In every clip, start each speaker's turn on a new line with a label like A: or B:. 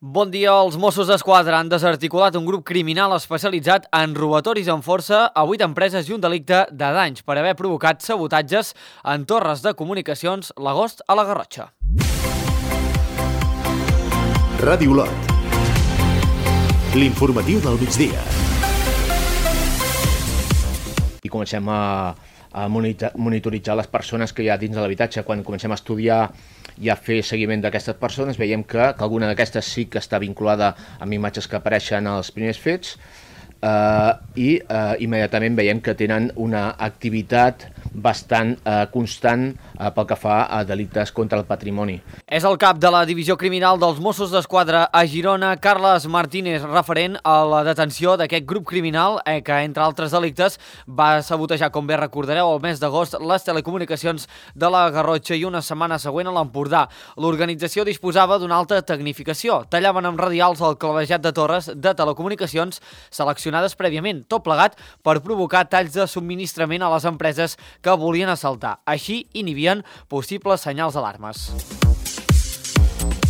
A: Bon dia. Els Mossos d'Esquadra han desarticulat un grup criminal especialitzat en robatoris amb força a 8 empreses i un delicte de danys per haver provocat sabotatges en torres de comunicacions l'agost a la Garrotxa.
B: Ràdio Lot. L'informatiu del migdia.
C: I comencem a monitoritzar les persones que hi ha dins de l'habitatge. Quan comencem a estudiar i a fer seguiment d'aquestes persones, veiem que alguna d'aquestes sí que està vinculada amb imatges que apareixen als primers fets i immediatament veiem que tenen una activitat bastant constant pel que fa a delictes contra el patrimoni.
A: És el cap de la Divisió Criminal dels Mossos d'Esquadra a Girona, Carles Martínez, referent a la detenció d'aquest grup criminal que, entre altres delictes, va sabotejar, com bé recordareu, el mes d'agost les telecomunicacions de la Garrotxa i una setmana següent a l'Empordà. L'organització disposava d'una alta tecnificació. Tallaven amb radials el clavejat de torres de telecomunicacions seleccionades prèviament, tot plegat per provocar talls de subministrament a les empreses que volien assaltar. Així inhibien possibles senyals d'alarmes.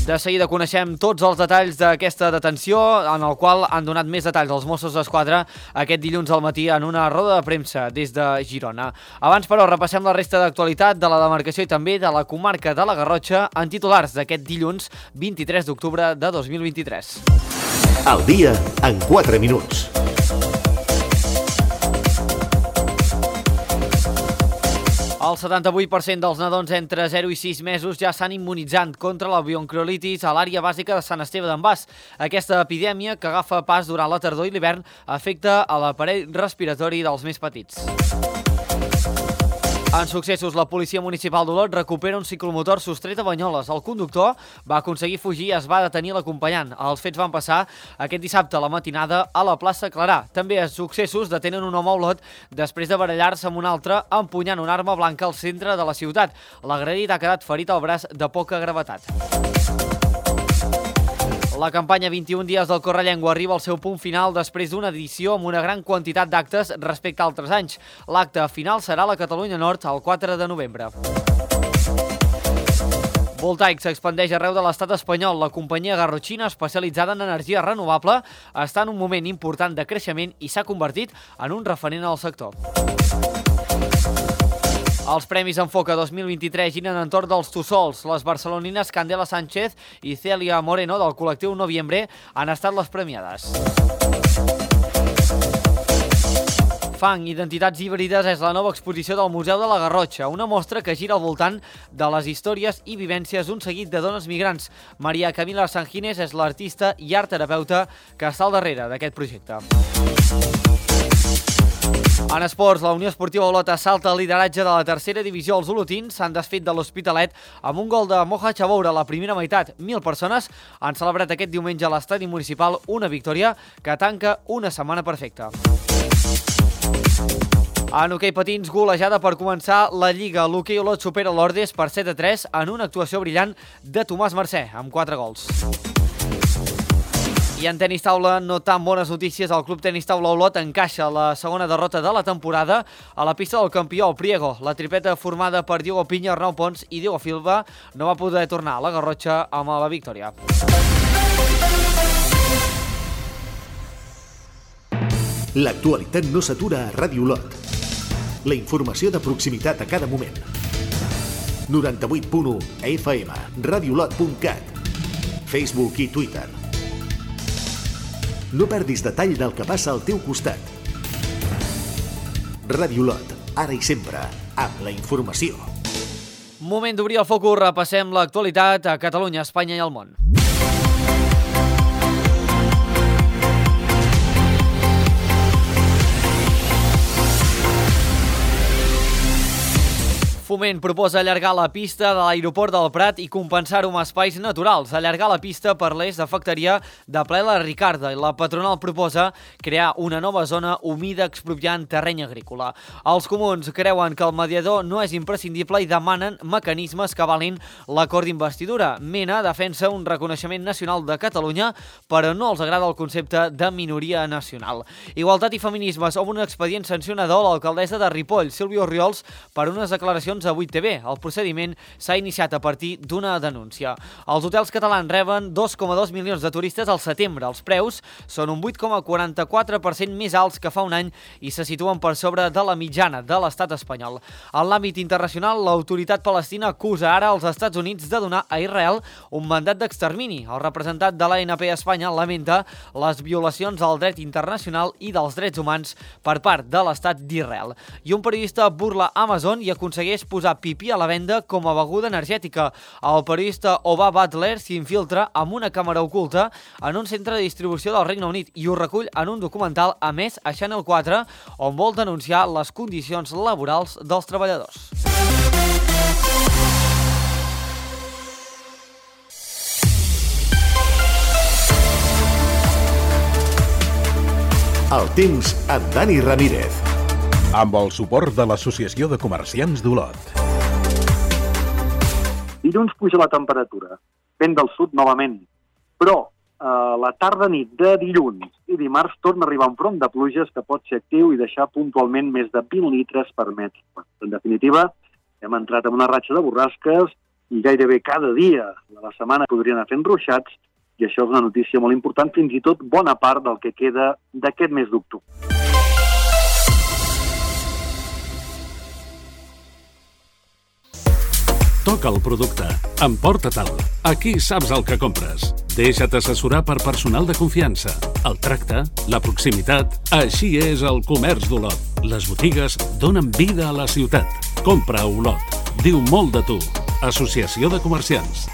A: De seguida coneixem tots els detalls d'aquesta detenció, en el qual han donat més detalls als Mossos d'Esquadra aquest dilluns al matí en una roda de premsa des de Girona. Abans, però, repassem la resta d'actualitat de la demarcació i també de la comarca de la Garrotxa en titulars d'aquest dilluns 23 d'octubre de 2023.
B: Al dia en 4 minuts.
A: El 78% dels nadons entre 0 i 6 mesos ja s'han immunitzat contra la bronquiolitis a l'àrea bàsica de Sant Esteve d'en Bas. Aquesta epidèmia, que agafa pas durant la tardor i l'hivern, afecta a l'aparell respiratori dels més petits. En successos, la policia municipal d'Olot recupera un ciclomotor sostret a Banyoles. El conductor va aconseguir fugir i es va detenir l'acompanyant. Els fets van passar aquest dissabte a la matinada a la plaça Clarà. També a successos detenen un home a Olot després de barallar-se amb un altre empunyant una arma blanca al centre de la ciutat. L'agredit ha quedat ferit al braç de poca gravetat. La campanya 21 dies del Correllengua arriba al seu punt final després d'una edició amb una gran quantitat d'actes respecte a altres anys. L'acte final serà a la Catalunya Nord el 4 de novembre. Voltaic s'expandeix arreu de l'estat espanyol. La companyia garrotxina, especialitzada en energia renovable, està en un moment important de creixement i s'ha convertit en un referent al sector. Els Premis Enfoca 2023 giren entorn dels Tussols. Les barcelonines Candela Sánchez i Celia Moreno del col·lectiu Noviembre han estat les premiades. Fang, identitats híbrides és la nova exposició del Museu de la Garrotxa, una mostra que gira al voltant de les històries i vivències d'un seguit de dones migrants. Maria Camila Sanginés és l'artista i art terapeuta que està al darrere d'aquest projecte. En esports, la Unió Esportiva Olot assalta el lideratge de la tercera divisió. Els olotins s'han desfet de l'Hospitalet amb un gol de Moja Chaboura a la primera meitat. 1.000 persones han celebrat aquest diumenge a l'estadi municipal una victòria que tanca una setmana perfecta. En hoquei patins, golejada per començar la Lliga. L'hoquei Olot supera l'Ordes per 7-3 en una actuació brillant de Tomàs Mercè, amb 4 gols. I en tenis taula, no tan bones notícies. El Club Tenis Taula Olot encaixa la segona derrota de la temporada a la pista del campió, el Priego. La tripleta formada per Diego Piña, Arnau Pons i Diego Silva no va poder tornar a la Garrotxa amb la victòria.
B: L'actualitat no s'atura a Ràdio Lot. La informació de proximitat a cada moment. 98.1 FM, radiolot.cat, Facebook i Twitter. No perdis detall del que passa al teu costat. Ràdio Lot, ara i sempre, amb la informació.
A: Moment d'obrir el focus, repassem l'actualitat a Catalunya, Espanya i el món. Foment proposa allargar la pista de l'aeroport del Prat i compensar-ho amb espais naturals. Allargar la pista per l'est afectaria de ple la Ricarda i la patronal proposa crear una nova zona humida expropiant terreny agrícola. Els comuns creuen que el mediador no és imprescindible i demanen mecanismes que avalin l'acord d'investidura. Mena defensa un reconeixement nacional de Catalunya, però no els agrada el concepte de minoria nacional. Igualtat i feminismes, amb un expedient sancionador a l'alcaldessa de Ripoll, Sílvia Orriols, per unes declaracions declaracions a 8TV. El procediment s'ha iniciat a partir d'una denúncia. Els hotels catalans reben 2,2 milions de turistes al setembre. Els preus són un 8,44% més alts que fa un any i se situen per sobre de la mitjana de l'estat espanyol. En l'àmbit internacional, l'autoritat palestina acusa ara als Estats Units de donar a Israel un mandat d'extermini. El representant de l'ANP a Espanya lamenta les violacions al dret internacional i dels drets humans per part de l'estat d'Israel. I un periodista burla Amazon i aconsegueix posar pipí a la venda com a beguda energètica. El periodista Oba Butler s'infiltra amb una càmera oculta en un centre de distribució del Regne Unit i ho recull en un documental emès a Channel 4 on vol denunciar les condicions laborals dels treballadors.
B: El temps amb Dani Ramírez.
D: Amb el suport de l'Associació de Comerciants d'Olot.
E: Dilluns puja la temperatura, vent del sud novament, però la tarda-nit de dilluns i dimarts torna a arribar un front de pluges que pot ser actiu i deixar puntualment més de 20 litres per metre. En definitiva, hem entrat en una ratxa de borrasques i gairebé cada dia de la setmana podrien anar fent ruixats i això és una notícia molt important, fins i tot bona part del que queda d'aquest mes d'octubre.
F: Toca el producte. Emporta-te'l. Aquí saps el que compres. Deixa't assessorar per personal de confiança. El tracte, la proximitat... Així és el comerç d'Olot. Les botigues donen vida a la ciutat. Compra a Olot. Diu molt de tu. Associació de Comerciants.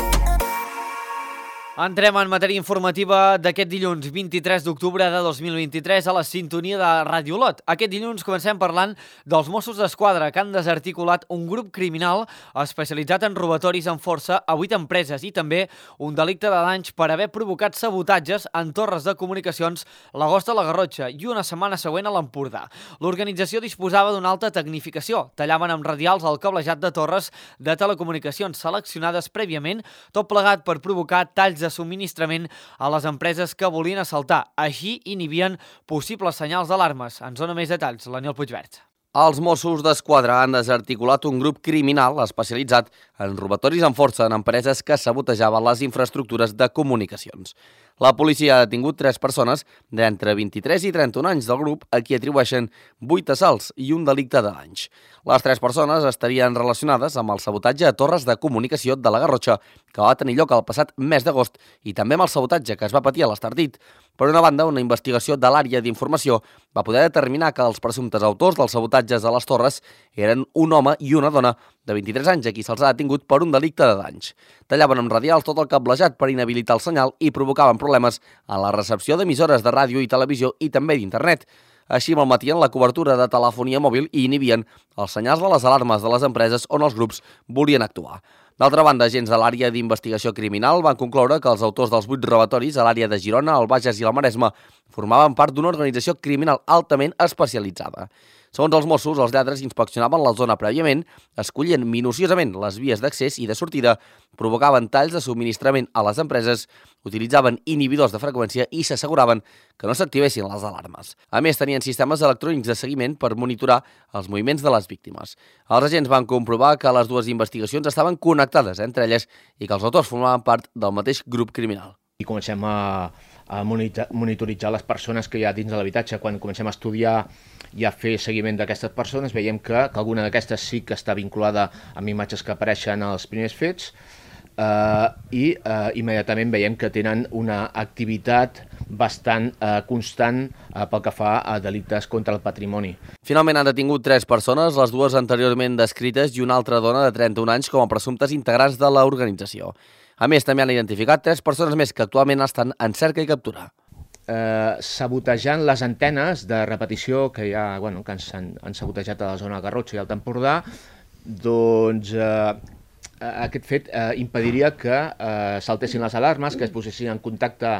A: Entrem en matèria informativa d'aquest dilluns 23 d'octubre de 2023 a la sintonia de Ràdio Olot. Aquest dilluns comencem parlant dels Mossos d'Esquadra que han desarticulat un grup criminal especialitzat en robatoris amb força a 8 empreses i també un delicte de danys per haver provocat sabotatges en torres de comunicacions l'Agost a la Garrotxa i una setmana següent a l'Empordà. L'organització disposava d'una alta tecnificació. Tallaven amb radials el cablejat de torres de telecomunicacions seleccionades prèviament, tot plegat per provocar talls de subministrament a les empreses que volien assaltar. Així inhibien possibles senyals d'alarmes. Ens dona més detalls l'Aniol Puigverd.
G: Els Mossos d'Esquadra han desarticulat un grup criminal especialitzat en robatoris amb força en empreses que sabotejaven les infraestructures de comunicacions. La policia ha detingut 3 persones d'entre 23 i 31 anys del grup a qui atribueixen 8 assalts i un delicte de danys. Les 3 persones estarien relacionades amb el sabotatge a torres de comunicació de la Garrotxa, que va tenir lloc el passat mes d'agost, i també amb el sabotatge que es va patir a l'Estartit. Per una banda, una investigació de l'àrea d'informació va poder determinar que els presumptes autors dels sabotatges a les torres eren un home i una dona de 23 anys a qui se'ls ha detingut per un delicte de danys. Tallaven amb radials tot el cablejat per inhabilitar el senyal i provocaven problemes en la recepció d'emissores de ràdio i televisió i també d'internet. Així malmetien la cobertura de telefonia mòbil i inhibien els senyals de les alarmes de les empreses on els grups volien actuar. D'altra banda, agents de l'àrea d'investigació criminal van concloure que els autors dels 8 robatoris a l'àrea de Girona, el Bages i el Maresme formaven part d'una organització criminal altament especialitzada. Segons els Mossos, els lladres inspeccionaven la zona prèviament, escollien minuciosament les vies d'accés i de sortida, provocaven talls de subministrament a les empreses, utilitzaven inhibidors de freqüència i s'asseguraven que no s'activessin les alarmes. A més, tenien sistemes electrònics de seguiment per monitorar els moviments de les víctimes. Els agents van comprovar que les dues investigacions estaven connectades entre elles i que els autors formaven part del mateix grup criminal.
C: I comencem a monitoritzar les persones que hi ha dins de l'habitatge. Quan comencem a estudiar i a fer seguiment d'aquestes persones, veiem que alguna d'aquestes sí que està vinculada amb imatges que apareixen als primers fets i immediatament veiem que tenen una activitat bastant constant pel que fa a delictes contra el patrimoni.
G: Finalment han detingut 3 persones, les dues anteriorment descrites i una altra dona de 31 anys com a presumptes integrants de l'organització. A més, també han identificat 3 persones més que actualment estan en cerca i captura.
C: Sabotejant les antenes de repetició que que han sabotejat a la zona de Garrotxa i Alt Empordà, doncs aquest fet impediria que saltessin les alarmes, que es posessin en contacte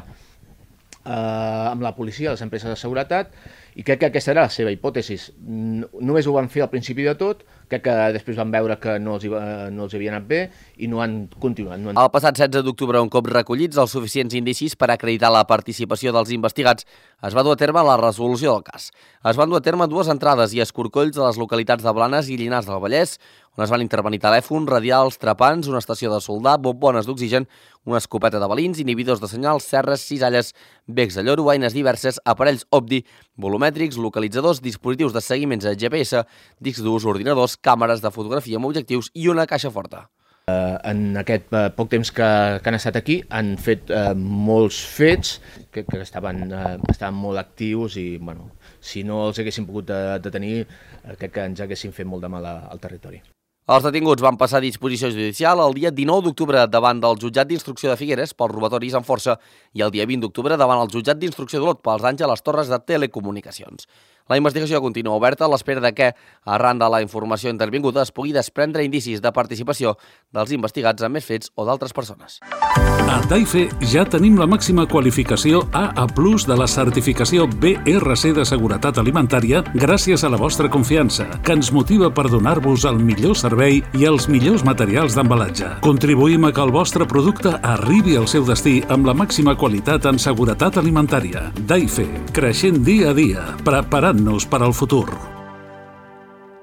C: amb la policia, les empreses de seguretat, i crec que aquesta era la seva hipòtesi. Només ho van fer al principi de tot, Crec que després van veure que no els havia anat bé i no han continuat.
G: El passat 16 d'octubre, un cop recollits els suficients indicis per acreditar la participació dels investigats, es va dur a terme la resolució del cas. Es van dur a terme 2 entrades i escorcolls a les localitats de Blanes i Llinars del Vallès, on es van intervenir telèfons, radials, trepants, una estació de soldar, bombones d'oxigen, una escopeta de balins, inhibidors de senyals, serres, cisalles, becs de lloro, eines diverses, aparells OBDI, volumètrics, localitzadors, dispositius de seguiments a GPS, discs durs, ordinadors, càmeres de fotografia amb objectius i una caixa forta.
C: En aquest poc temps que han estat aquí han fet molts fets que estaven molt actius i si no els haguéssim pogut detenir crec que ens haguessin fet molt de mal al territori.
G: Els detinguts van passar a disposició judicial el dia 19 d'octubre davant del jutjat d'instrucció de Figueres pels robatoris amb força i el dia 20 d'octubre davant el jutjat d'instrucció d'Olot pels danys a les torres de telecomunicacions. La investigació continua oberta a l'espera de que, arran de la informació intervinguda, es pugui desprendre indicis de participació dels investigats en més fets o d'altres persones.
F: A Daife ja tenim la màxima qualificació AA+ de la certificació BRC de seguretat alimentària gràcies a la vostra confiança, que ens motiva per donar-vos el millor servei i els millors materials d'embalatge. Contribuïm a que el vostre producte arribi al seu destí amb la màxima qualitat en seguretat alimentària. Daife, creixent dia a dia, preparant-nos per al futur.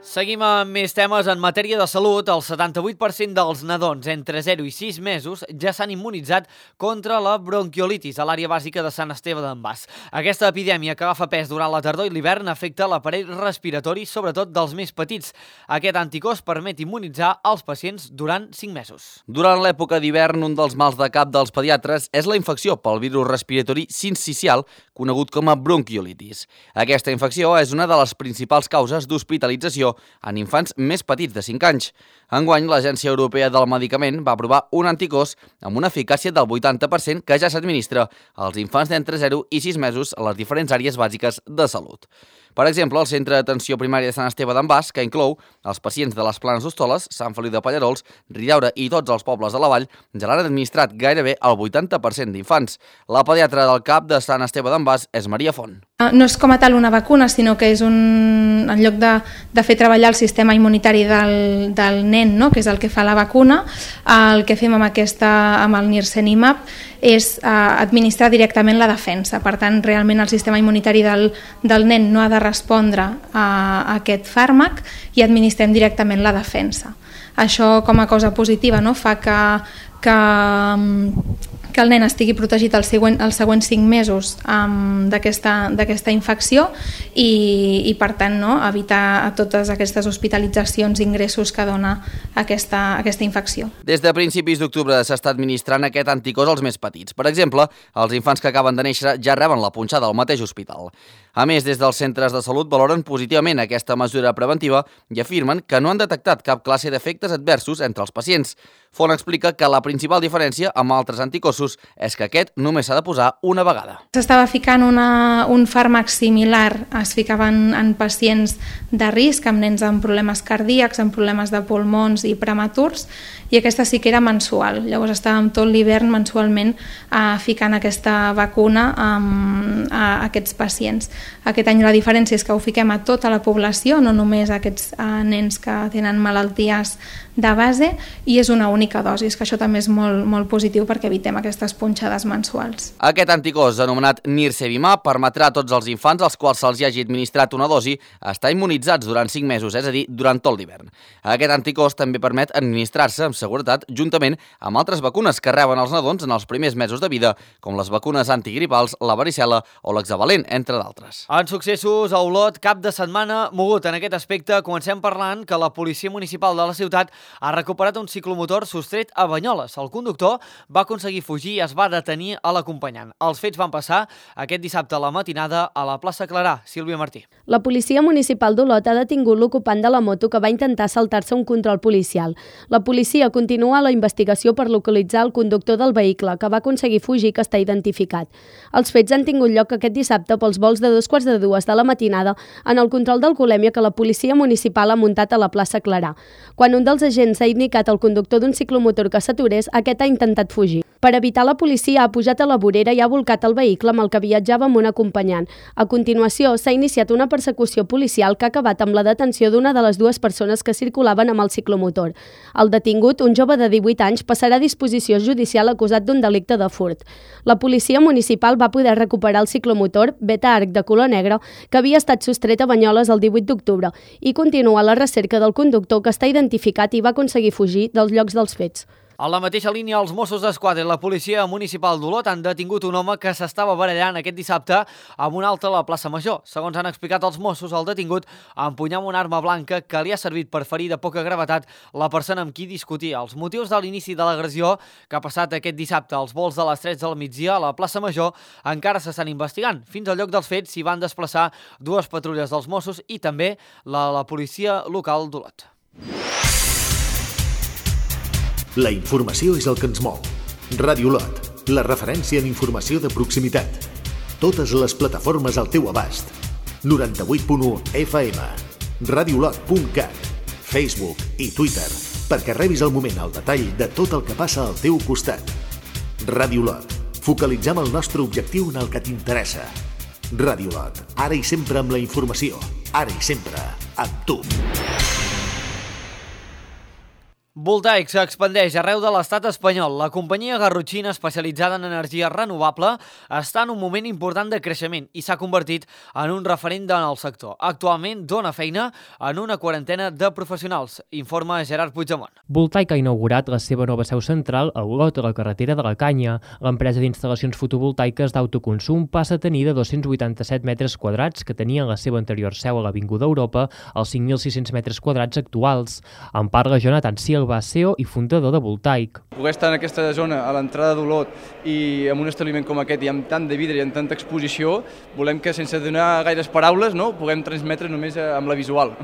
A: Seguim amb més temes en matèria de salut. El 78% dels nadons entre 0 i 6 mesos ja s'han immunitzat contra la bronquiolitis a l'àrea bàsica de Sant Esteve d'en Bas. Aquesta epidèmia que agafa pes durant la tardor i l'hivern afecta l'aparell respiratori, sobretot dels més petits. Aquest anticòs permet immunitzar els pacients durant 5 mesos.
G: Durant l'època d'hivern, un dels mals de cap dels pediatres és la infecció pel virus respiratori sincicial, conegut com a bronquiolitis. Aquesta infecció és una de les principals causes d'hospitalització en infants més petits de 5 anys. Enguany, l'Agència Europea del Medicament va aprovar un anticòs amb una eficàcia del 80% que ja s'administra als infants d'entre 0 i 6 mesos a les diferents àrees bàsiques de salut. Per exemple, el Centre d'Atenció Primària de Sant Esteve d'en Bas, que inclou els pacients de les Planes d'Hostoles, Sant Feliu de Pallerols, Ridaura i tots els pobles de la vall, ja l'han administrat gairebé el 80% d'infants. La pediatra del CAP de Sant Esteve d'en Bas és Maria Font.
H: No és com a tal una vacuna, sinó que és en lloc de fer treballar el sistema immunitari del nen, no? Que és el que fa la vacuna, el que fem amb el Nirsevimab és administrar directament la defensa. Per tant, realment el sistema immunitari del nen no ha de respondre a aquest fàrmac i administrem directament la defensa. Això, com a cosa positiva, no? Fa que el nen estigui protegit els següents 5 mesos d'aquesta infecció i per tant, no, evitar totes aquestes hospitalitzacions i ingressos que dona aquesta infecció.
G: Des de principis d'octubre s'està administrant aquest anticòs als més petits. Per exemple, els infants que acaben de néixer ja reben la punxada al mateix hospital. A més, des dels centres de salut valoren positivament aquesta mesura preventiva i afirmen que no han detectat cap classe d'efectes adversos entre els pacients. Font explica que la principal diferència amb altres anticossos és que aquest només s'ha de posar una vegada.
H: S'estava ficant un fàrmac similar, es ficava en pacients de risc, amb nens amb problemes cardíacs, amb problemes de pulmons i prematurs, i aquesta sí que era mensual. Llavors estàvem tot l'hivern mensualment ficant aquesta vacuna a aquests pacients. Aquest any la diferència és que ho fiquem a tota la població, no només a aquests nens que tenen malalties de base, i és una única dosi, que això també és molt positiu perquè evitem aquestes punxades mensuals.
G: Aquest anticòs, anomenat Nirsevimab, permetrà a tots els infants als quals se'ls hagi administrat una dosi estar immunitzats durant 5 mesos, és a dir, durant tot l'hivern. Aquest anticòs també permet administrar-se amb seguretat juntament amb altres vacunes que reben els nadons en els primers mesos de vida, com les vacunes antigripals, la varicel·la o l'hexavalent, entre d'altres.
A: En successos a Olot, cap de setmana mogut en aquest aspecte. Comencem parlant que la Policia Municipal de la ciutat ha recuperat un ciclomotor sostret a Banyoles. El conductor va aconseguir fugir i es va detenir a l'acompanyant. Els fets van passar aquest dissabte a la matinada a la plaça Clarà. Sílvia Martí.
I: La Policia Municipal d'Olot ha detingut l'ocupant de la moto que va intentar saltar-se un control policial. La policia continua la investigació per localitzar el conductor del vehicle que va aconseguir fugir, que està identificat. Els fets han tingut lloc aquest dissabte pels vols de 2:45 de la matinada en el control d'alcoholèmia que la Policia Municipal ha muntat a la plaça Clarà. Quan un dels agents ha indicat al conductor d'un ciclomotor que s'aturés, aquest ha intentat fugir. Per evitar la policia ha pujat a la vorera i ha volcat el vehicle amb el que viatjava amb un acompanyant. A continuació, s'ha iniciat una persecució policial que ha acabat amb la detenció d'una de les dues persones que circulaven amb el ciclomotor. El detingut, un jove de 18 anys, passarà a disposició judicial acusat d'un delicte de furt. La policia municipal va poder recuperar el ciclomotor Beta Arc de color negre que havia estat sostret a Banyoles el 18 d'octubre i continua la recerca del conductor que està identificat i va aconseguir fugir dels llocs dels fets.
A: A la mateixa línia, els Mossos d'Esquadra i la policia municipal d'Olot han detingut un home que s'estava barallant aquest dissabte amb un altre a la plaça Major. Segons han explicat els Mossos, el detingut empunyava una arma blanca que li ha servit per ferir de poca gravetat la persona amb qui discutia. Els motius de l'inici de l'agressió que ha passat aquest dissabte als volts de les 3 del migdia a la plaça Major encara s'estan investigant. Fins al lloc dels fets s'hi van desplaçar dues patrulles dels Mossos i també la policia local d'Olot.
B: La informació és el que ens mou. Ràdio Olot, la referència en informació de proximitat. Totes les plataformes al teu abast. 98.1 FM, radiolot.cat, Facebook i Twitter, perquè rebis al moment el detall de tot el que passa al teu costat. Ràdio Olot, focalitzem el nostre objectiu en el que t'interessa. Ràdio Olot, ara i sempre amb la informació, ara i sempre amb tu.
A: Voltaic s'expandeix arreu de l'estat espanyol. La companyia garrotxina especialitzada en energia renovable està en un moment important de creixement i s'ha convertit en un referent en el sector. Actualment dona feina en una quarantena de professionals, informa Gerard Puigdemont.
J: Voltaic ha inaugurat la seva nova seu central a Olot, a la carretera de la Canya. L'empresa d'instal·lacions fotovoltaiques d'autoconsum passa a tenir de 287 metres quadrats que tenia en la seva anterior seu a l'Avinguda Europa als 5.600 metres quadrats actuals. En parla Jonathan Silva, CEO i fundador de Voltaic.
K: Poder estar en aquesta zona, a l'entrada d'Olot, i en un establiment com aquest, i amb tant de vidre i amb tanta exposició, volem que sense donar gaires paraules puguem transmetre només amb la visual.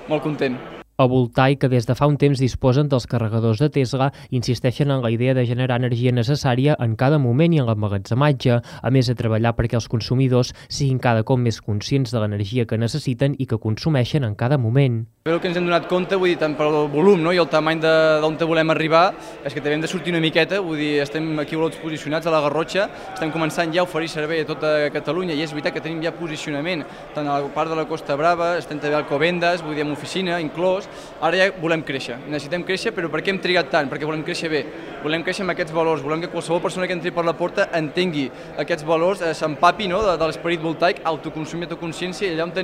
K: Molt content.
J: A Voltaic, que des de fa un temps disposen dels carregadors de Tesla, insisteixen en la idea de generar energia necessària en cada moment i en l'emmagatzematge, a més de treballar perquè els consumidors siguin cada cop més conscients de l'energia que necessiten i que consumeixen en cada moment.
K: El que ens hem donat compte, vull dir, tant pel volum i el tamany d'on volem arribar, és que també hem de sortir una miqueta, vull dir, estem aquí a Olot posicionats a la Garrotxa, estem començant ja a oferir servei a tota Catalunya i és veritat que tenim ja posicionament tant a la part de la Costa Brava, estem també a Alcobendas, vull dir, amb oficina inclòs. Ara ja volem créixer, necessitem créixer, però per què hem trigat tant? Perquè volem créixer bé, volem créixer amb aquests valors, volem que qualsevol persona que entri per la porta entengui aquests valors, s'empapi de l'esperit voltaic, autoconsum i autoconsciència, i allà on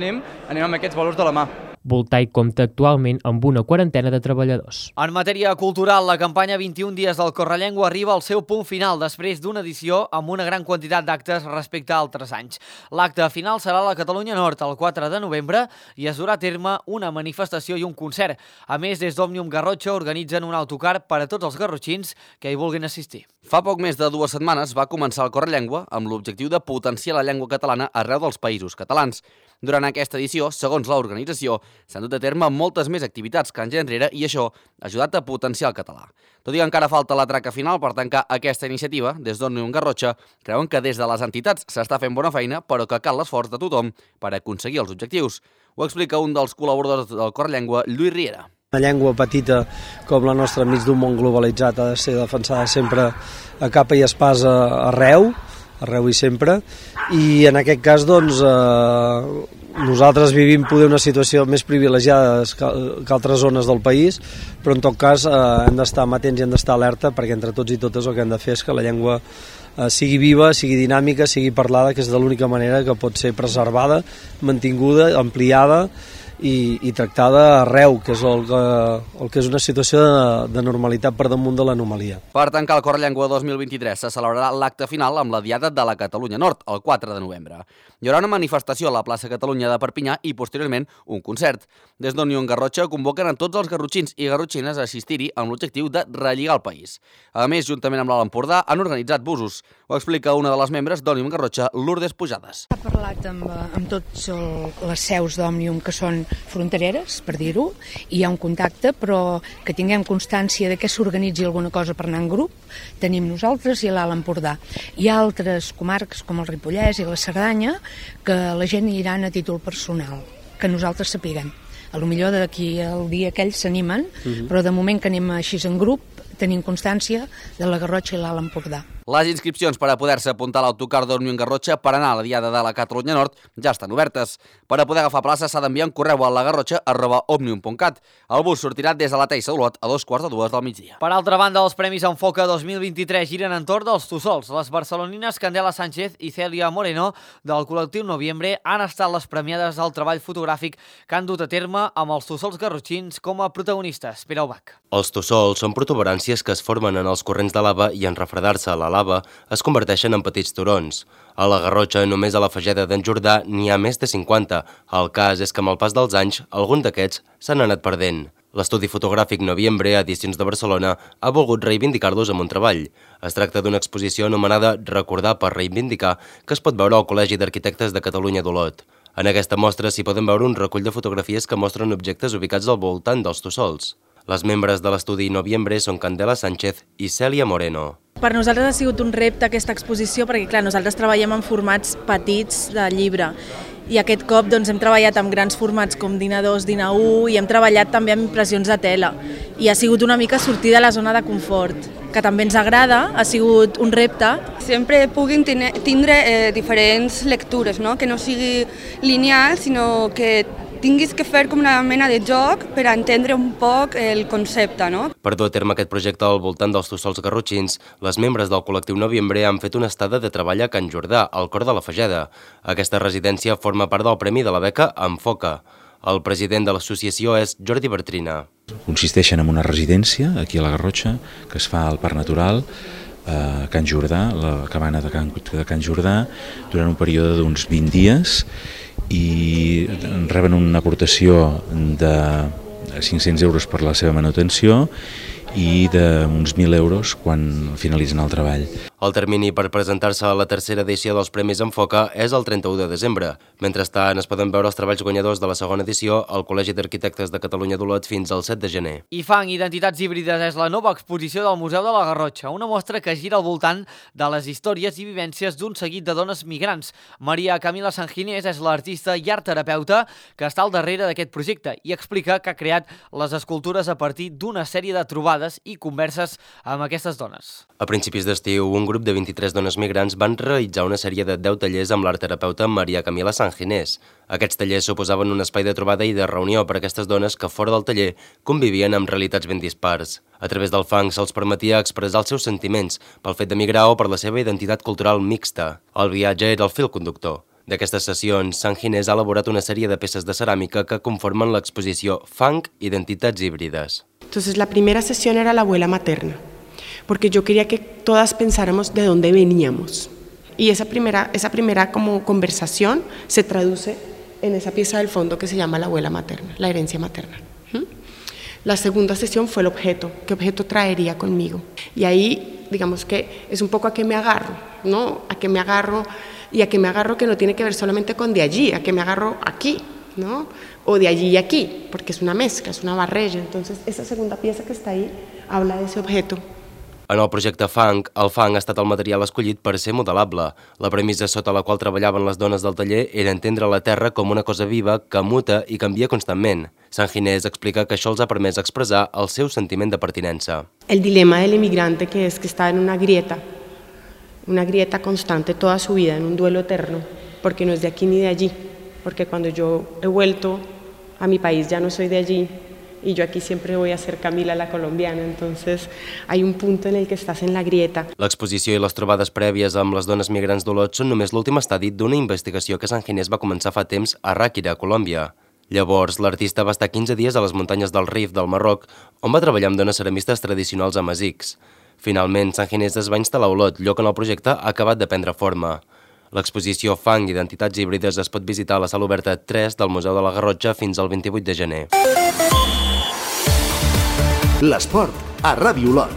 K: anem amb aquests valors de la mà.
J: Voltaic compta actualment amb una quarantena de treballadors.
A: En matèria cultural, la campanya 21 dies del Correllengua arriba al seu punt final després d'una edició amb una gran quantitat d'actes respecte a altres anys. L'acte final serà a la Catalunya Nord el 4 de novembre i es durà a terme una manifestació i un concert. A més, des d'Òmnium Garrotxa organitzen un autocar per a tots els garrotxins que hi vulguin assistir.
G: Fa poc més de 2 setmanes va començar el Correllengua amb l'objectiu de potenciar la llengua catalana arreu dels països catalans. Durant aquesta edició, segons l'organització, s'han dut a terme moltes més activitats que anys enrere i això ha ajudat a potenciar el català. Tot i que encara falta la traca final per tancar aquesta iniciativa, des d'Òmnium Garrotxa creuen que des de les entitats s'està fent bona feina, però que cal l'esforç de tothom per aconseguir els objectius. Ho explica un dels col·laboradors del Correllengua, Lluís Riera.
L: Una llengua petita com la nostra enmig d'un món globalitzat ha de ser defensada sempre a capa i espasa arreu i sempre, i en aquest cas doncs nosaltres vivim poder una situació més privilegiada que altres zones del país, però en tot cas hem d'estar amatents i hem d'estar alerta perquè entre tots i totes el que hem de fer és que la llengua sigui viva, sigui dinàmica, sigui parlada, que és de l'única manera que pot ser preservada, mantinguda, ampliada i tractada arreu, que és el que és una situació de normalitat per damunt de l'anomalia.
G: Per tancar el Correllengua 2023 se celebrarà l'acte final amb la Diada de la Catalunya Nord, el 4 de novembre. Hi haurà una manifestació a la plaça Catalunya de Perpinyà i, posteriorment, un concert. Des d'Òmnium Garrotxa convoquen a tots els garrotxins i garrotxines a assistir-hi amb l'objectiu de relligar el país. A més, juntament amb l'Alt Empordà, han organitzat busos. Ho explica una de les membres d'Òmnium Garrotxa, Lourdes Pujades.
M: Ha parlat amb tots les seus d'Òmnium que són frontereres, per dir-ho, i hi ha un contacte, però que tinguem constància de que s'organitzi alguna cosa per anar en grup, tenim nosaltres i l'Alt Empordà. Hi ha altres comarques com el Ripollès i la Cerdanya que la gent hi iran a títol personal, que nosaltres sapiguem. A lo millor d'aquí al dia aquells s'animen, però de moment que anem així en grup tenim constància de la Garrotxa i l'Alt Empordà.
G: Les inscripcions per a poder-se apuntar a l'autocar d'Òmnium Garrotxa per anar a la Diada de la Catalunya Nord ja estan obertes. Per a poder agafar plaça s'ha d'enviar un correu a lagarrotxa@omnium.cat. El bus sortirà des de la Teixa d'Olot a 2:45 del migdia.
A: Per altra banda, els Premis Enfoca 2023 giren entorn dels Tussols. Les barcelonines Candela Sánchez i Cèlia Moreno del col·lectiu Noviembre han estat les premiades al treball fotogràfic que han dut a terme amb els Tussols garrotxins com a protagonistes. Pere Ubach.
N: Els tussols són protuberàncies que es formen en els corrents de lava i en refredar-se a la lava es converteixen en petits turons. A la Garrotxa, només a la Fageda d'en Jordà, n'hi ha més de 50. El cas és que amb el pas dels anys, alguns d'aquests s'han anat perdent. L'estudi fotogràfic Noviembre, Edicions de Barcelona, ha volgut reivindicar-los amb un treball. Es tracta d'una exposició anomenada Recordar per reivindicar, que es pot veure al Col·legi d'Arquitectes de Catalunya d'Olot. En aquesta mostra s'hi poden veure un recull de fotografies que mostren objectes ubicats al voltant dels tussols. Les membres de l'estudi Noviembre són Candela Sánchez i Cèlia Moreno.
O: Per nosaltres ha sigut un repte aquesta exposició perquè, clar, nosaltres treballem en formats petits de llibre i aquest cop doncs, hem treballat amb grans formats com DIN A2, DIN A1 i hem treballat també amb impressions de tela i ha sigut una mica sortir de la zona de confort, que també ens agrada, ha sigut un repte.
P: Sempre puguin tindre diferents lectures, no? Que no sigui lineal, sinó que tinguis que fer com una mena de joc per entendre un poc el concepte, no?
N: Per dur a terme aquest projecte al voltant dels tussols garrotxins, les membres del col·lectiu Noviembre han fet una estada de treball a Can Jordà, al cor de la Fageda. Aquesta residència forma part del premi de la beca Enfoca. El president de l'associació és Jordi Bertrina.
Q: Consisteixen en una residència, aquí a la Garrotxa, que es fa al Parc Natural, a Can Jordà, la cabana de Can Jordà, durant un període d'uns 20 dies, i reben una aportació de 500 euros per la seva manutenció i d'uns 1.000 euros quan finalitzen el treball.
N: El termini per presentar-se a la tercera edició dels Premis Enfoca és el 31 de desembre. Mentrestant, es poden veure els treballs guanyadors de la segona edició al Col·legi d'Arquitectes de Catalunya d'Olot fins al 7 de gener.
A: IFANG, Identitats Híbrides, és la nova exposició del Museu de la Garrotxa, una mostra que gira al voltant de les històries i vivències d'un seguit de dones migrants. Maria Camila Sanginés és l'artista i artterapeuta que està al darrere d'aquest projecte i explica que ha creat les escultures a partir d'una sèrie de trobades i converses amb aquestes dones.
N: A principis d'estiu, un grup de 23 dones migrants van realitzar una sèrie de 10 tallers amb l'artterapeuta Maria Camila Sanginés. Aquests tallers suposaven un espai de trobada i de reunió per a aquestes dones que fora del taller convivien amb realitats ben dispars. A través del fang se'ls permetia expressar els seus sentiments pel fet de migrar o per la seva identitat cultural mixta. El viatge era el fil conductor. D'aquestes sessions, Sanginés ha elaborat una sèrie de peces de ceràmica que conformen l'exposició Fang, Identitats Híbrides.
R: Entonces la primera sesión era la abuela materna, porque yo quería que todas pensáramos de dónde veníamos. Y esa primera como conversación se traduce en esa pieza del fondo que se llama la abuela materna, la herencia materna. La segunda sesión fue el objeto, qué objeto traería conmigo. Y ahí, digamos que es un poco a qué me agarro, ¿no? A qué me agarro y a qué me agarro que no tiene que ver solamente con de allí, a qué me agarro aquí, ¿no? O de allí y aquí, porque es una mezcla, es una barrella. Entonces, esa segunda pieza que está ahí habla de ese objeto.
N: En el projecte Fang, el fang ha estat el material escollit per ser modelable. La premissa sota la qual treballaven les dones del taller era entendre la terra com una cosa viva que muta i canvia constantment. Sanginés explica que això els ha permès expressar el seu sentiment de pertinença.
R: El dilema del inmigrante que está en una grieta constante toda su vida, en un duelo eterno, porque no es de aquí ni de allí, porque cuando yo he vuelto a mi país ya no soy de allí, y yo aquí siempre voy a ser Camila la colombiana, entonces hay un punto en el que estás en la grieta.
N: L'exposició i les trobades prèvies amb les dones migrants d'Olot són només l'últim estadi d'una investigació que Sanginés va començar fa temps a Ràquira, Colòmbia. Llavors, l'artista va estar 15 dies a les muntanyes del Rif del Marroc, on va treballar amb dones ceramistes tradicionals amazics. Finalment, Sanginés es va instal·lar a Olot, lloc on el projecte ha acabat de prendre forma. L'exposició Fang, Identitats Híbrides es pot visitar a la sala oberta 3 del Museu de la Garrotxa fins al 28 de gener.
B: L'esport a Ràdio Olot.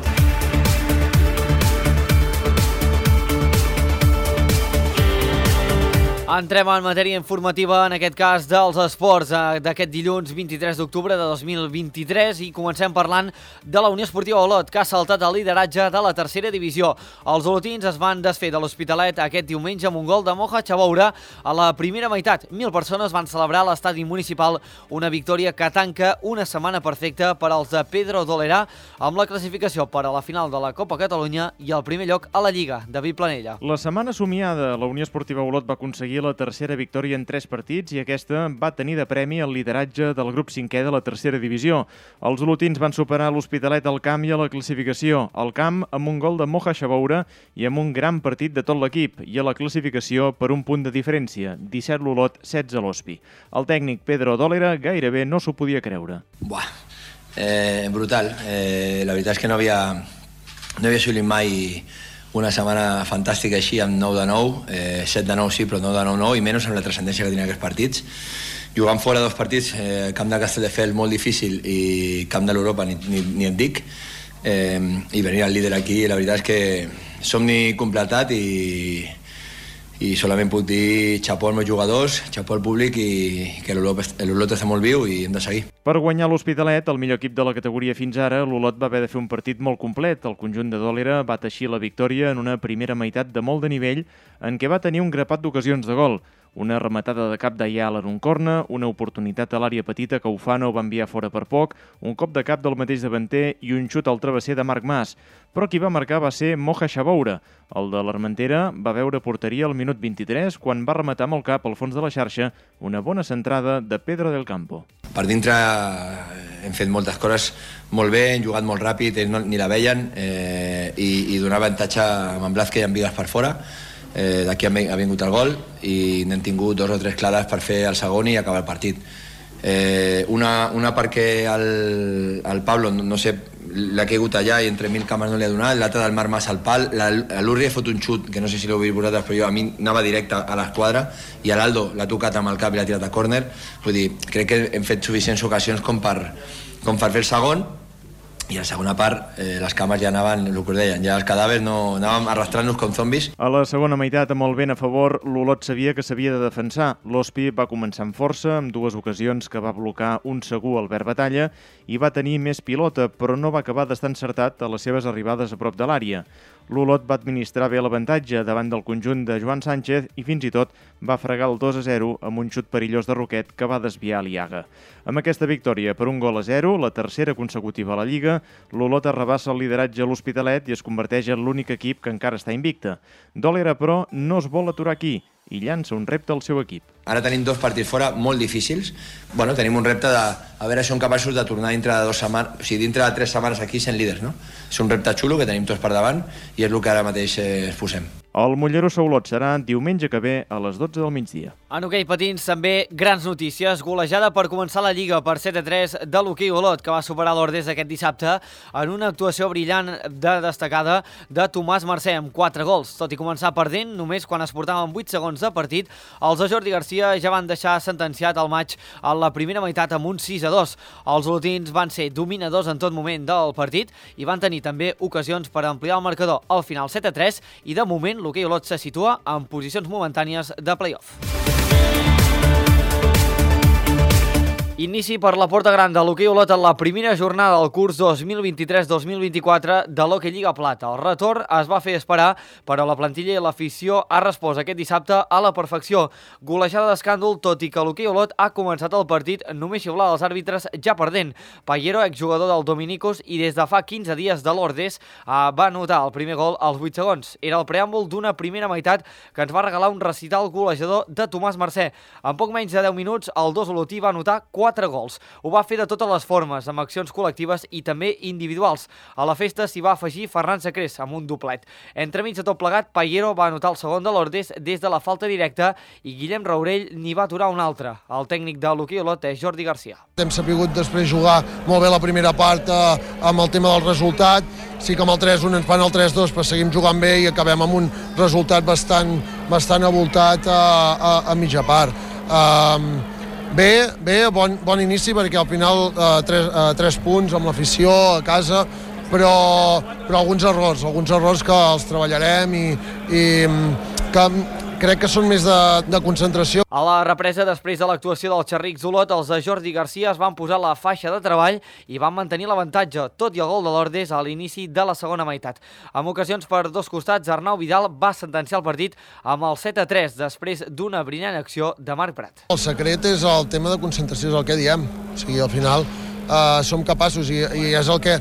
A: Entrem en matèria informativa, en aquest cas dels esports d'aquest dilluns 23 d'octubre de 2023 i comencem parlant de la Unió Esportiva Olot, que ha saltat el lideratge de la tercera divisió. Els olotins es van desfer de l'Hospitalet aquest diumenge amb un gol de Moja Chaboura a la primera meitat. 1.000 persones van celebrar a l'estadi municipal una victòria que tanca una setmana perfecta per als de Pedro Dolera amb la classificació per a la final de la Copa Catalunya i el primer lloc a la Lliga. David Planella.
S: La setmana somiada, la Unió Esportiva Olot va aconseguir la tercera victòria en 3 partits i aquesta va tenir de premi el lideratge del grup 5è de la tercera divisió. Els olotins van superar l'Hospitalet al camp i a la classificació. Al camp amb un gol de Moja Chaboura i amb un gran partit de tot l'equip i a la classificació per un punt de diferència, 17 l'Olot, 16 l'Hospi. El tècnic Pedro Dolera gairebé no s'ho podia creure.
T: Brutal. La veritat és que no havia assolit mai una setmana fantàstica així amb 9 de 9, 7 de 9 sí, però 9 de 9 no, i menys amb la transcendència que tenien aquests partits. Jugant fora 2 partits, camp de Castelldefels molt difícil i camp de l'Europa ni et dic, i venir al líder aquí, la veritat és que somni completat i solament puc dir xapó als meus jugadors, xapó al públic i que l'Olot està molt viu i hem de seguir.
S: Per guanyar l'Hospitalet, el millor equip de la categoria fins ara, l'Olot va haver de fer un partit molt complet. El conjunt de Dolera va teixir la victòria en una primera meitat de molt de nivell en què va tenir un grapat d'ocasions de gol. Una rematada de cap d'Ayala en un corna, una oportunitat a l'àrea petita que Ufano va enviar fora per poc, un cop de cap del mateix davanter i un xut al travesser de Marc Mas. Però qui va marcar va ser Moja Chaboura. El de l'Armentera va veure porteria al minut 23 quan va rematar amb el cap al fons de la xarxa una bona centrada de Pedro del Campo.
T: Per dintre hem fet moltes coses molt bé, hem jugat molt ràpid, ells ni la veien i donar avantatge amb en Blázquez i amb Vigas per fora. D'aquí ha vingut el gol i n'hem tingut 2 o 3 clares per fer el segon i acabar el partit. Una perquè el Pablo, no sé, l'ha caigut allà i entre 1.000 cames no li ha donat, l'altra del Marc Mas al pal, l'Urri ha fot un xut, que no sé si l'heu vist vosaltres, però a mi anava directe a l'esquadra, i l'Aldo l'ha tocat amb el cap i l'ha tirat a córner. Vull dir, crec que hem fet suficients ocasions com per fer el segon, i a la segona part les cames ja anaven, el que us deien, ja els cadàvers no anàvem arrastrant-nos com zombis.
S: A la segona meitat, amb el vent a favor, l'Olot sabia que s'havia de defensar. L'Hospi va començar amb força, amb 2 ocasions que va blocar un segur Albert Batalla i va tenir més pilota, però no va acabar d'estar encertat a les seves arribades a prop de l'àrea. L'Olot va administrar bé l'avantatge davant del conjunt de Joan Sánchez i fins i tot va fregar el 2-0 amb un xut perillós de Roquet que va desviar l'Iaga. Amb aquesta victòria per 1-0, la tercera consecutiva a la Lliga, l'Olot arrabassa el lideratge a l'Hospitalet i es converteix en l'únic equip que encara està invicte. Dolera, però, no es vol aturar aquí i llança un repte al seu equip.
T: Ara tenim 2 partits fora molt difícils. Tenim un repte de a veure si som capaços de tornar dintre de 2 setmanes, o sigui, dintre de 3 setmanes aquí sent líders, no? És un repte xulo que tenim tots per davant i és el que ara mateix ens posem.
S: El Mollerussa Olot serà diumenge que ve a les 12 del migdia.
A: En hoquei patins també grans notícies. Golejada per començar la Lliga per 7-3 de l'hoquei Olot, que va superar l'Ordés aquest dissabte en una actuació brillant destacada de Tomàs Mercè amb 4 gols. Tot i començar perdent, només quan es portaven 8 segons de partit, els de Jordi Garcia ja van deixar sentenciat el maig a la primera meitat amb un 6-2. Els olotins van ser dominadors en tot moment del partit i van tenir també ocasions per ampliar el marcador al final 7-3 i de moment l'hoquei Olot se situa en posicions momentànies de play-off. Inici per la porta gran de l'hoquei Olot en la primera jornada del curs 2023-2024 de l'Hockey Lliga Plata. El retorn es va fer esperar, però la plantilla i l'afició ha respost aquest dissabte a la perfecció. Golejada d'escàndol, tot i que l'hoquei Olot ha començat el partit només xiular els àrbitres ja perdent. Pallero, exjugador del Dominicos i des de fa 15 dies de l'Ordés, va anotar el primer gol als 8 segons. Era el preàmbul d'una primera meitat que ens va regalar un recital golejador de Tomàs Mercè. En poc menys de 10 minuts, el 2 olotí va anotar 4 gols. Ho va fer de totes les formes, amb accions col·lectives i també individuals. A la festa s'hi va afegir Ferran Sacrés amb un doblet. Entremig de tot plegat, Pallero va anotar el segon de l'Ordés des de la falta directa i Guillem Raurell n'hi va aturar un altre. El tècnic de l'hoquei Olot és Jordi Garcia.
U: Hem sabut després jugar molt bé la primera part amb el tema del resultat. Sí que amb el 3-1 ens fan el 3-2, però seguim jugant bé i acabem amb un resultat bastant avoltat a mitja part. Bé, bon inici perquè al final 3 punts amb l'afició a casa, però alguns errors que els treballarem i que crec que són més de concentració.
A: A la represa, després de l'actuació del Xerrics Olot, els de Jordi Garcia es van posar la faixa de treball i van mantenir l'avantatge, tot i el gol de l'Ordes a l'inici de la segona meitat. Amb ocasions per dos costats, Arnau Vidal va sentenciar el partit amb el 7-3, després d'una brillant acció de Marc Prat.
U: El secret és el tema de concentració, és el que diem. O sigui, al final som capaços i és el que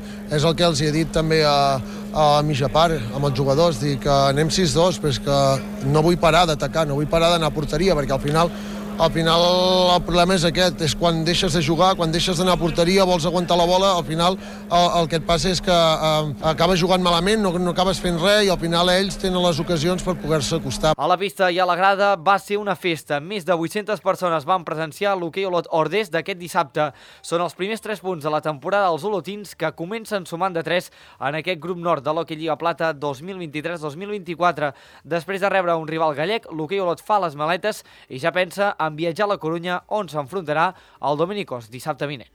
U: els he dit també a mitja part amb els jugadors, dir que anem 6-2, però és que no vull parar d'atacar, no vull parar d'anar a porteria, perquè al final el problema és aquest, és quan deixes de jugar, quan deixes d'anar a porteria, vols aguantar la bola, al final el que et passa és que acabes jugant malament, no acabes fent res i al final ells tenen les ocasions per poder-se acostar.
A: A la pista i a la grada va ser una festa. Més de 800 persones van presenciar l'hoquei Olot Ordes d'aquest dissabte. Són els primers 3 punts de la temporada dels olotins que comencen sumant de 3 en aquest grup nord de l'Hockey Lliga Plata 2023-2024. Després de rebre un rival gallec, l'hoquei Olot fa les maletes i ja pensa en viatjar a la Corunya, on s'enfrontarà al Dominicos dissabte vinent.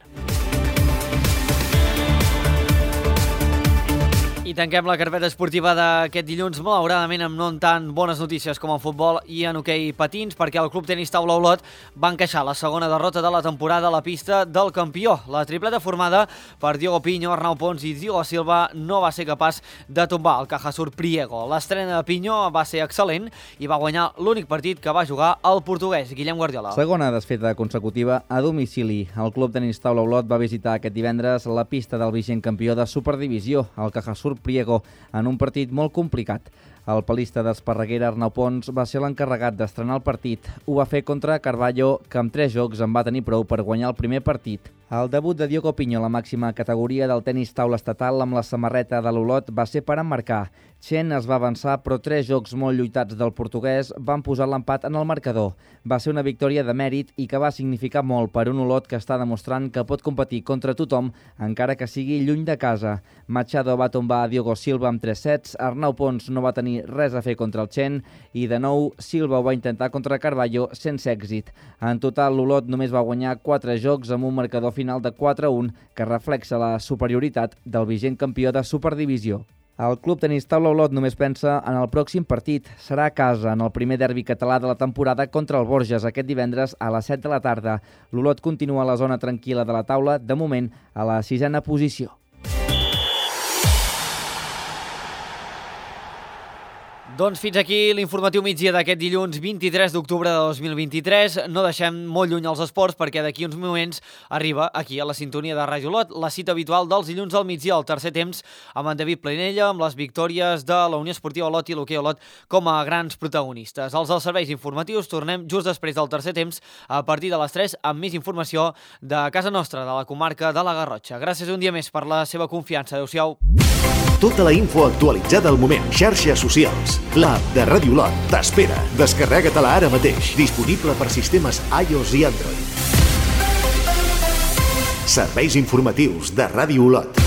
A: I tanquem la carpeta esportiva d'aquest dilluns, malauradament amb no tan bones notícies com en futbol i en hoquei patins, perquè el Club Tenis Taula Olot va encaixar la segona derrota de la temporada a la pista del campió. La tripleta formada per Diogo Pinho, Arnau Pons i Diogo Silva no va ser capaç de tombar el Cajasur Priego. L'estrena de Pinho va ser excel·lent i va guanyar l'únic partit que va jugar el portuguès, Guillem Guardiola.
D: Segona desfeta consecutiva a domicili. El Club Tenis Taula Olot va visitar aquest divendres la pista del vigent campió de Superdivisió, el Cajasur Priego, en un partit molt complicat. El palista d'Esparreguera, Arnau Pons, va ser l'encarregat d'estrenar el partit. Ho va fer contra Carballo, que amb 3 jocs en va tenir prou per guanyar el primer partit. El debut de Diogo Pinho a la màxima categoria del tenis taula estatal amb la samarreta de l'Olot va ser per emmarcar. Chen es va avançar, però 3 jocs molt lluitats del portuguès van posar l'empat en el marcador. Va ser una victòria de mèrit i que va significar molt per un Olot que està demostrant que pot competir contra tothom, encara que sigui lluny de casa. Machado va tombar a Diogo Silva amb 3 sets, Arnau Pons no va tenir res a fer contra el Chen i, de nou, Silva ho va intentar contra Carballo sense èxit. En total, l'Olot només va guanyar 4 jocs amb un marcador final de 4-1 que reflexa la superioritat del vigent campió de Superdivisió. El Club Tenis Taula Olot només pensa en el pròxim partit. Serà a casa en el primer derbi català de la temporada contra el Borges aquest divendres a les 7 de la tarda. L'Olot continua a la zona tranquil·la de la taula, de moment a la 6a posició.
A: Doncs fins aquí l'informatiu migdia d'aquest dilluns 23 d'octubre de 2023. No deixem molt lluny els esports perquè d'aquí uns moments arriba aquí a la sintonia de Ràdio Olot la cita habitual dels dilluns al migdia, al tercer temps, amb en David Planella, amb les victòries de la Unió Esportiva Olot i l'Hoquei Olot com a grans protagonistes. Els dels serveis informatius tornem just després del tercer temps a partir de les 3 amb més informació de casa nostra, de la comarca de la Garrotxa. Gràcies un dia més per la seva confiança. Adéu-siau.
B: Tota la info actualitzada al moment. Xarxes socials. L'app de Ràdio Olot t'espera. Descarrega-te-la ara mateix. Disponible per sistemes iOS i Android. Serveis informatius de Ràdio Olot.